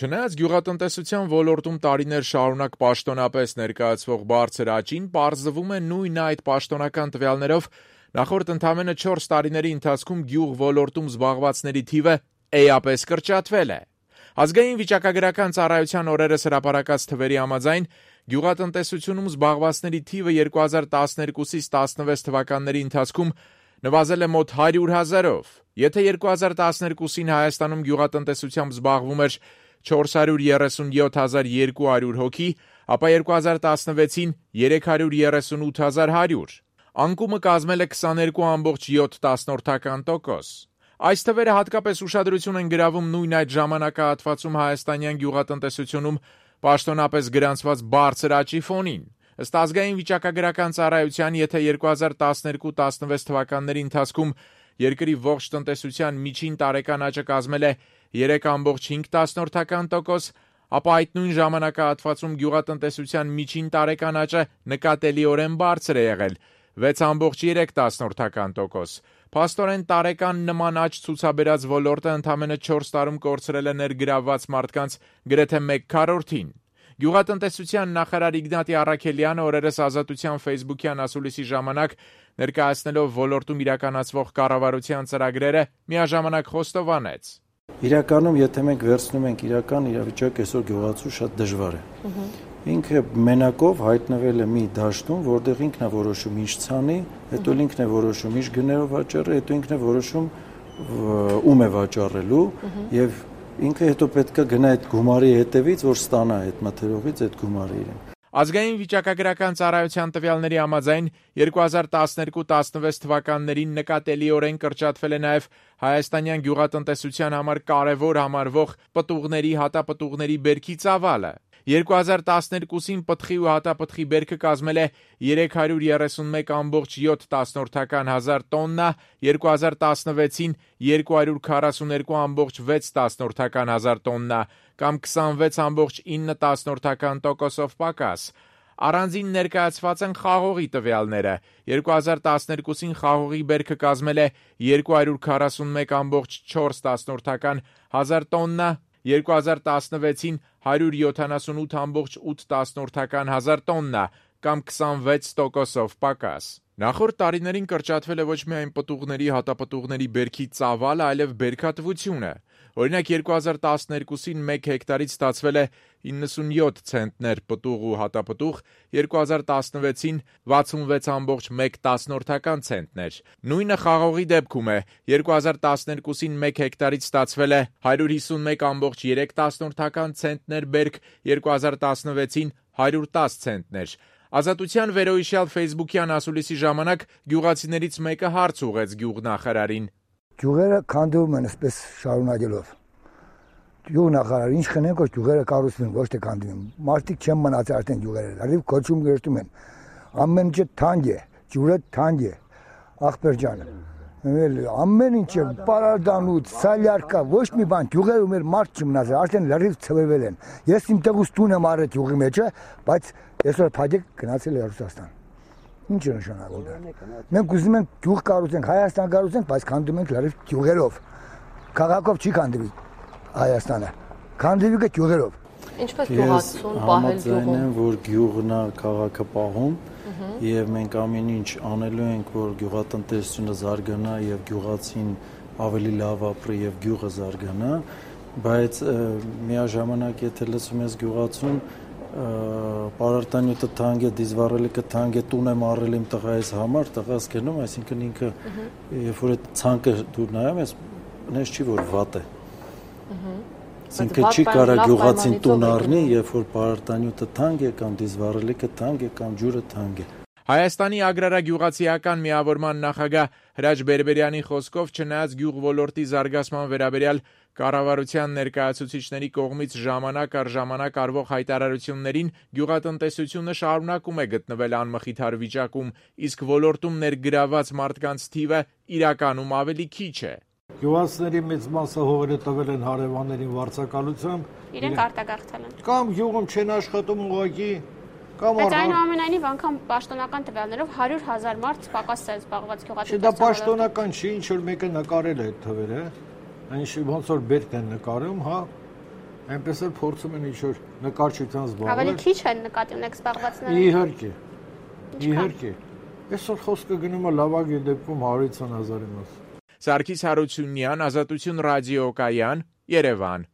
Չնայած գյուղատնտեսության ոլորտում տարիներ շարունակ պաշտոնապես ներկայացվող բարձր աճին, պարզվում է նույն այդ պաշտոնական տվյալներով նախորդ ընդամենը 4 տարիների ընթացքում գյուղ ոլորտում զբաղվածների թիվը էապես կրճատվել է։ Ազգային վիճակագրական ծառայության օրերս հրապարակած թվերի համաձայն գյուղատնտեսությունում զբաղվածների թիվը 2012-ից 16 թվականների ընթացքում նվազել է մոտ 100,000-ով։ Եթե 2012-ին Հայաստանում գյուղատնտեսությամբ զբաղվում էր 437,200 հոգի, ապա 2016-ին 338,100։ Անկումը կազմել է 22,7%։ Այս թվերը հատկապես ուշադրություն են գրավում նույն այդ ժամանակահատվածում հայաստանյան գյուղատնտեսությունում պաշտոնապես գրանցված բարձր աճի ֆոնին։ Ըստ ազգային վիճակագրական ծառայության, եթե 2012-16 թվականների ընթացքում երկրի ողջ տնտեսության միջին տարեկան աճը կազմել է 3,5%, ապա այդ նույն ժամանակահատվածում գյուղատնտեսության միջին տարեկան աճը նկատելիորեն բարձր է եղել 6,3%։ Փաստորեն տարեկան նման աճ ցուցաբերած ոլորտը ընդամենը 4 տարում կորցրել է ներգրավված մարդկանց գրեթե 1/4-ին։ Գյուղատնտեսության նախարար Իգնատի Առաքելյանը օրերս Ազատության ֆեյսբուքյան ասուլիսի ժամանակ ներկայացնելով ոլորտում իրականացվող կառավարության ծրագրերը միաժամանակ խոստովանեց. Իրականում, եթե մենք վերցնում ենք իրական իրավիճակը, այսօր գյուղացու շատ դժվար է։ Ինքը մենակով հայտնվել է մի դաշտում, որտեղ ինքն է որոշում ինչ ցանի, հետո ինքն է որոշում ինչ գներով վաճառի, հետո ինքն է որոշում ում է վաճառելու եւ ինքը հետո պետք է գնա այդ գումարի հետևից, որ ստանա այդ մթերողից այդ գումարը իրեն։ Ազգային վիճակագրական ծառայության տվյալների համաձայն 2012-16 թվականներին նկատելիորեն կրճատվել է նաև հայաստանյան գյուղատնտեսության համար կարևոր համարվող պտուղների, հատապտուղների բերքի ծավալը։ 2012-ին պտղի ու հատապտղի բերքը կազմել է 331,7 հազար տոննա, 2016-ին 242,6 հազար տոննա, կամ 26,9% պակաս։ Առանձին ներկայացված են խաղողի տվյալները։ 2012-ին խաղողի բերքը կազմել է 241,4 հազար տոննա, 2016-ին 178,8 հազար տոննա, կամ 26% պակաս։ Նախորդ տարիներին կրճատվել է ոչ միայն պտուղների, հատապտուղների բերքի ծավալը, այլև բերքատվությունը։ Օրինակ 2012-ին 1 հեկտարից ստացվել է 97 ցենտներ պտուղ ու հատապտուղ, 2016-ին 66,1 ցենտներ։ Նույնը խաղողի դեպքում է։ 2012-ին 1 հեկտարից ստացվել է 151,3 ցենտներ բերք, 2016-ին 110 ցենտներ։ Ազատության վերոհիշյալ ֆեյսբուքյան ասուլիսի ժամանակ գյուղացիներից մեկը հարց ուղղեց գյուղնախարարին. Գյուղերը քանդվում են այսպես շարունակելով։ Գյուղնախարար, ինչ խնենք, որ գյուղերը կառուցվեն, ոչ թե քանդվեն։ Մարդիկ չեն մնացել արդեն գյուղերը, լրիվ կոչում գերտում են։ Ամեն ինչը թանկ է, ջուրը թանկ է։ Ախպեր ջան, ամեն ինչը պարարդանուց, սալյարկա, ոչ մի բան, գյուղերը մեր մարդ չմնացել, արդեն լրիվ ցվվել են։ Ես իմ տեղուց տուն եմ առել գյուղի մեջը, բայց այսօր փաջիկ գնացել է Ռուսաստան։ Ինչ է նշանակում դա։ Մենք ուզում ենք գյուղ կառուցենք, Հայաստան կառուցենք, բայց քանդում ենք լրիվ գյուղերով։ Քաղաքով չի քանդվի Հայաստանը։ Քանդվի գյուղերով։ Ինչպես գյուղացուն պահել գյուղում։ Համաձայն եմ, որ գյուղն է քաղաքը պահում, եւ մենք ամեն ինչ անելու ենք, որ գյուղատնտեսությունը զարգանա եւ գյուղացին ավելի լավ ապրի եւ գյուղը զարգանա, բայց միաժամանակ եթե լսում ես գյուղացուն պարարտանյութը թանկ է, դիզվառելիքը թանկ է, տուն եմ առել իմ տղայիս համար, տղաս գնում, այսինքն ինքը երբ որ այդ ցանկը դու նայում ես, նես չի որ վատ է։ Այսինքն չի կարա գյուղացին տուն առնի, երբ որ պարարտանյութը թանկ է կամ դիզվառելիքը թանկ է կամ ջուրը թանկ է։ Հայաստանի agrarագյուղացիական միավորման նախագահ Հրաչ Բերբերյանի խոսքով, չնայած գյուղ ոլորտի զարգացման վերաբերյալ կառավարության ներկայացուցիչների կողմից ժամանակ առ ժամանակ արվող հայտարարություններին, գյուղատնտեսությունը շարունակում է գտնվել անմխիթար վիճակում, իսկ ոլորտում ներգրաված մարդկանց թիվը իրականում ավելի քիչ է։ Գյուղացիների մեծ մասը հողերը տվել են հարևաններին վարձակալությամբ։ Իրենք արտագաղթել են։ Կամ գյուղում չեն աշխատում ուղղակի, կամ Բայց այնուամենայնիվ անգամ պաշտոնական տվյալներով 100,000 մարդ պակաս է զբաղված գյուղատնտեսությամբ։ Դա պաշտոնական չի, ինչ որ մեկը նկարել է այդ թվերը, այնիշ ոնց որ բերք են նկարում, հա։ Այնպես էլ փորձում են ինչ-որ նկարչությամբ զբաղվել։ Ավելի քիչ են նկատի ունեք զբաղվածները։ Իհարկե։ Այսօր խոսքը գնում է լավագույն դեպքում 120,000-ի մաս։ Սարգիս Հարությունյան, Ազատություն ռադիոկայան, Երևան։